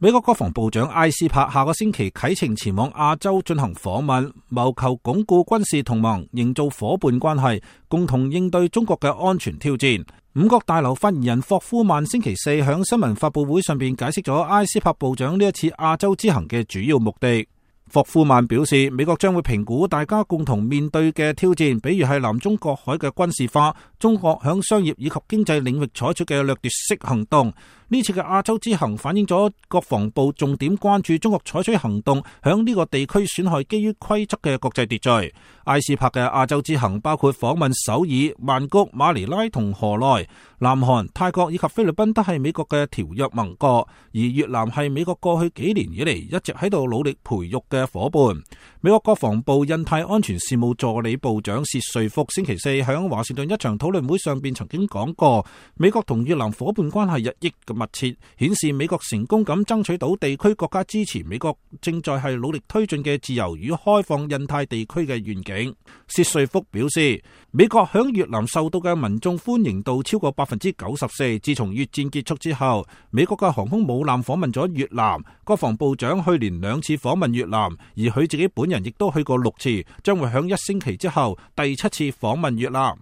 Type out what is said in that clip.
美國國防部長埃斯珀下個星期啟程前往亞洲進行訪問，謀求鞏固軍事同盟，營造夥伴關係，共同應對中國嘅安全挑戰。五角大樓發言人霍夫曼星期四響新聞發佈會上邊解釋咗埃斯珀部長呢一次亞洲之行嘅主要目的。霍夫曼表示，美國將會評估大家共同面對嘅挑戰，比如係南中國海嘅軍事化，中國響商業以及經濟領域採取嘅掠奪式行動。呢次嘅亞洲之行反映咗國防部重點關注中國採取行動響呢個地區損害基於規則嘅國際秩序。埃斯珀嘅亞洲之行包括訪問首爾、曼谷、馬尼拉同河內。南韓、泰國以及菲律賓都係美國嘅條約盟國，而越南係美國過去幾年以嚟一直喺度努力培育嘅伙伴。美國國防部印太安全事務助理部長薛瑞福星期四響華盛頓一場討論會上邊曾經講過，美國同越南伙伴關係日益嘅密切，顯示美國成功咁爭取到地區國家支持美國正在係努力推進嘅自由與開放印太地區嘅願景。薛瑞福表示，美國響越南受到嘅民眾歡迎度超過94%。自從越戰結束之後，美國嘅航空母艦訪問咗越南，國防部長去年2次訪問越南，而佢自己本人亦都去過6次，將會響1星期之後第7次訪問越南。